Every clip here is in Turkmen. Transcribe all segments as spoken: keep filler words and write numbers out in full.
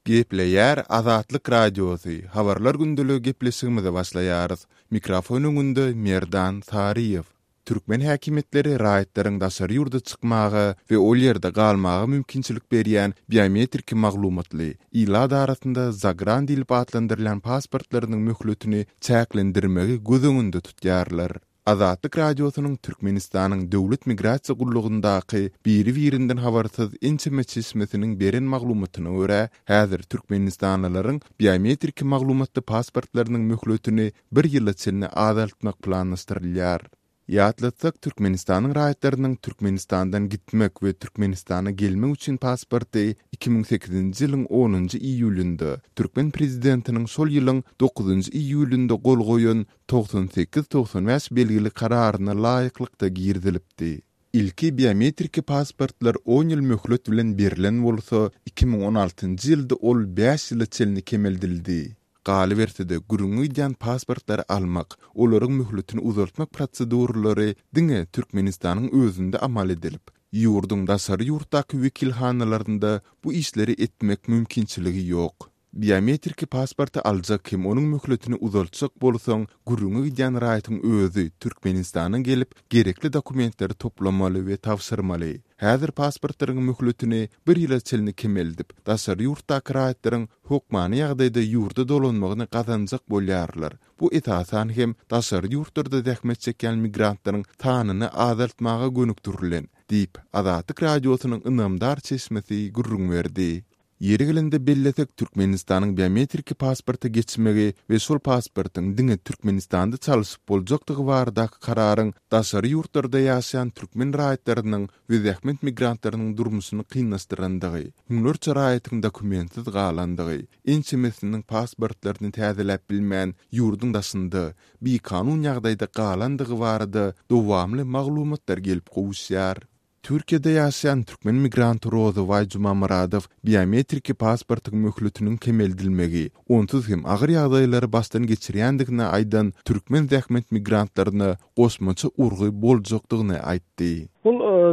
Gepleýär Azatlyk Radiosy, Habarlar gündeligi gepleşigimize başlaýarys. Mikrofon öňünde Merdan Saryýew. Türkmen häkimiýetleri raýatlaryň daşary ýurda çykmaga we ol ýerde galmaga mümkinçilik berýän biometrik maglumatly, ilat arasynda zagran diýlip atlandyrylýan pasportlarynyň möhletini çäklendirmegi göz öňünde tutýarlar. Azatlyk Radiosynyň Türkmenistanyň Döwlet migrasiýa gullugyndaky biri-birinden habarsyz ençeme çeşmesiniň beren maglumatyna görä, häzir türkmenistanlylaryň biometrik maglumatly pasportlarynyň möhletini bir ýyla çenli azaltmak planlaşdyrylýar. Ýatlatsak, Türkmenistanyň raýatlarynyň Türkmenistandan gitmek we Türkmenistana gelmek üçin pasporty iki müň sekizinji ýylyň onunjy iýulynda türkmen prezidentiniň şol ýylyň dokuzynjy iýulynda gol goýan togsan sekiz togsan bäş belgili kararyna laýyklykda girizilipdi. Ilki biometrik pasportlar on ýyl möhlet bilen berlen bolsa, iki müň on altynjy ýylda ol bäş ýyla çenli kemeldildi. Galyberse-de, gürrüňi gidýän pasportlary almak, olaryň möhletini uzaltmak proseduralary diňe Türkmenistanyň özünde amal edilip, ýurduň daşary ýurtdaky wekilhanalarynda bu işleri etmek mümkinçiligi ýok. Biometrik pasporty aljak hem onuň möhletini uzaltjak bolsaň, gürrüňi gidýän raýatyň özi Türkmenistana gelip, gerekli dokumentleri toplamaly we tabşyrmaly. Häzir pasportlaryň möhletini bir ýyla çenli kemeldip, daşary ýurtdaky raýatlaryň hökmany ýagdaýda ýurda dolanmagyny gazanjak bolýarlar. Bu esasan hem daşary ýurtlarda zähmet çekýän migrantlaryň sanyny azaltmaga gönükdirilen, diýip, Azatlyk Radiosynyň ynamdar çeşmesi gürrüň berdi. Ýeri gelende bellesek, Türkmenistanyň biometrik pasporta geçmegi we şol pasportyň diňe Türkmenistanda çalşyp boljakdygy baradaky kararyň daşary ýurtlarda ýaşaýan türkmen raýatlarynyň we zähmet migrantlarynyň durmuşyny kynlaşdyrandygy, müňlerçe raýatyň dokumentsiz galandygy, ençemesiniň pasportlaryny täzeläp bilmän ýurduň daşynda bikanun ýagdaýda galandygy barada dowamly maglumatlar gelip gowuşýar. Türkiýede ýaşaýan türkmen migranty Rozybaý Jumamyradow biometrik pasportyň möhletiniň kemeldilmegi, onsuz hem agyr ýagdaýlary başdan geçirýändigini aýdan türkmen zähmet migrantlaryna goşmaça urgy boljakdygyny aýtdy. Bu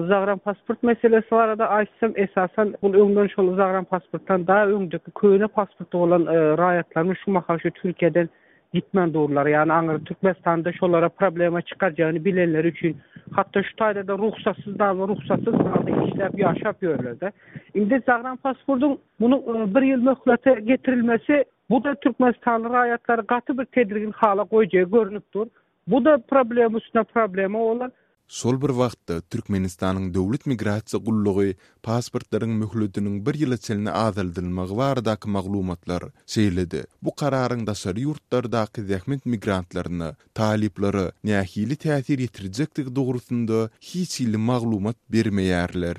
zagran pasport meselesi barada aýtsam, esasan bu öňden şol zagran pasportdan daha öňdeki köne pasporty bolan raýatlaryň şu mahal şu Türkiýeden gitmän durlar. Ýagny aňry Türkmenistanda şolara problema çykarjagyny bilenler üçin hatda şu taýda da ruhsatsyz da ruhsatsyz halda işläp ýaşap ýörler-de. Indi zagran pasportyň munuň bir ýyl möhlete getirilmesi bu da Türkmenistanly raýatlary gaty bir tedirgin hala goýjagy görünip dur. Bu da problema üstüne problema bolar. Şol bir wagtda Türkmenistanyň Döwlet migrasiýa gullugy pasportlaryň möhletiniň bir ýyla çenli azaldylmagy baradaky maglumatlar, şeýle-de bu kararyň daşary ýurtlardaky zähmet migrantlaryna, talyplara nähili täsir ýetirjekdigi dogrusynda hiç hili maglumat bermeýärler.